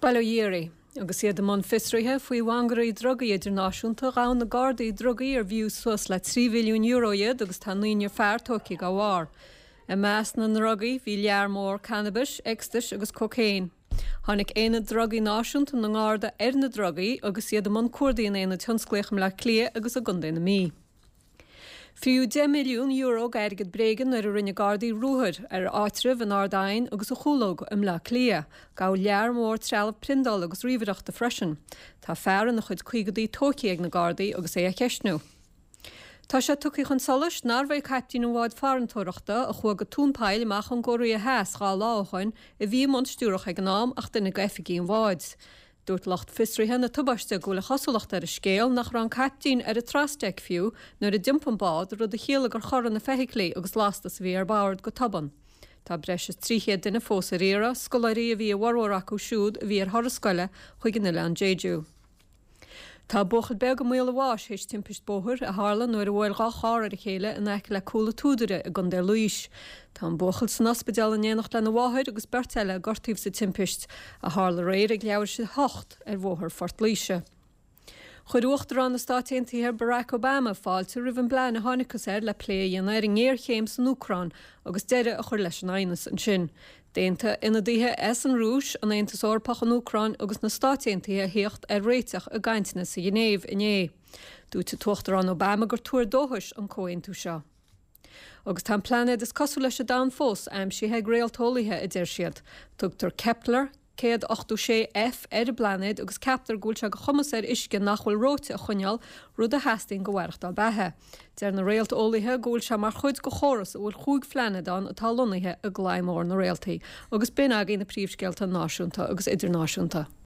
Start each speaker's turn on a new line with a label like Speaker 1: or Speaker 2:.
Speaker 1: Bail ó Dhia oraibh. Agus iad i mbun fiosraithe faoi mhangairí drugaí idirnáisiúnta, ghabh na Gardaí drugaí arbh fhiú suas le €3 mhilliún iad agus tá naonúr fear tógtha dá bharr. I measc na ndrugaí bhí lear mór cannabais, ecstasy agus cócaon. Tháinig Aonad Drugaí Náisiúnta na nGarda ar na drugaí agus iad i mbun cuardaigh in aonad thionsclaíoch i mBleá Cliath agus i gContae na Mí. Fríodh €10 milliún d'airgead bréige nuair a rinne Gardaí ruathar ar áitreabh in Ard Aidhin agus i Chúlóg i mBleá Cliath. Gabhadh lear mór trealamh priondála agus ríomhaireachta freisin. Tá fear ina chuid caogadaí tógtha ag na Gardaí agus é á cheistniú. Tá sé tugtha chun solais nárbh é caiptín an bháid farantóireachta a chuaigh go tóin poill amach ón gCóiré Theas 2 lá ó shoin a bhí i mbun stiúrach ag an am ach duine d'oifigigh an bháid. Dúirt lucht fiosraithe na tubaiste go bhfuil an chosúlacht ar an scéal nach raibh an caiptín ar an trasdeic fiú nuair a d'iompaigh an bád, rud a chiallaigh gur chorraigh na feithiclí agus lastas a bhí ar bord go tobann. Tá breis is 300 duine fós ar iarraidh, scoláirí a bhí i bhformhór acu siúd a bhí ar thuras scoile chuig an oileán Jeju. Tá buachaill beag i mbaol a bháis théis timpist bóthair a tharla nuair a bhuail 2 charr ar a chéile in aice le Cúil a' tSúdaire i gContae Laois. Tá an buachaill san ospidéal in éineacht lena mháthair agus beirt eile a gortaíodh sa timpist, a tharla aréir ag leathuair théis 8 ar bhóthar Phort Laoise. Chuir Uachtarán na Stáit Aontaithe Barack Obama fáilte roimh an bplean a thángthas air le plé a dhéanamh ar an ngéarchéim san Úcráin agus deireadh a chur leis an aighneas ansin. D'aontaigh ionadaithe as an Rúis, an Aontas Eorpach, an Úcráin agus na Stáit Aontaithe a thíocht ar réiteach i gcainteanna sa Ghinéiv inné. Dúirt an tUachtarán Obama gur tuar dóchais an comhaontú seo. Agus tá an plainéad is cosúil leis an domhan fós aimsithe ag réalteolaithe, a deir siad. Tugtar Kepler 186 f ar an bplainéad agus ceaptar go bhfuil sé de chumas air uisce nach bhfuil reoite a choinneáil, rud a theastaíonn do mhaireachtáil beatha. Deir na réalteolaithe go bhfuil sé mar chuid de chóras a bhfuil chúig phlainéad ann atá lonnaithe i gclaí mór na réaltaí. Agus b'in agaibh na príomhscéalta náisiúnta agus idirnáisiúnta.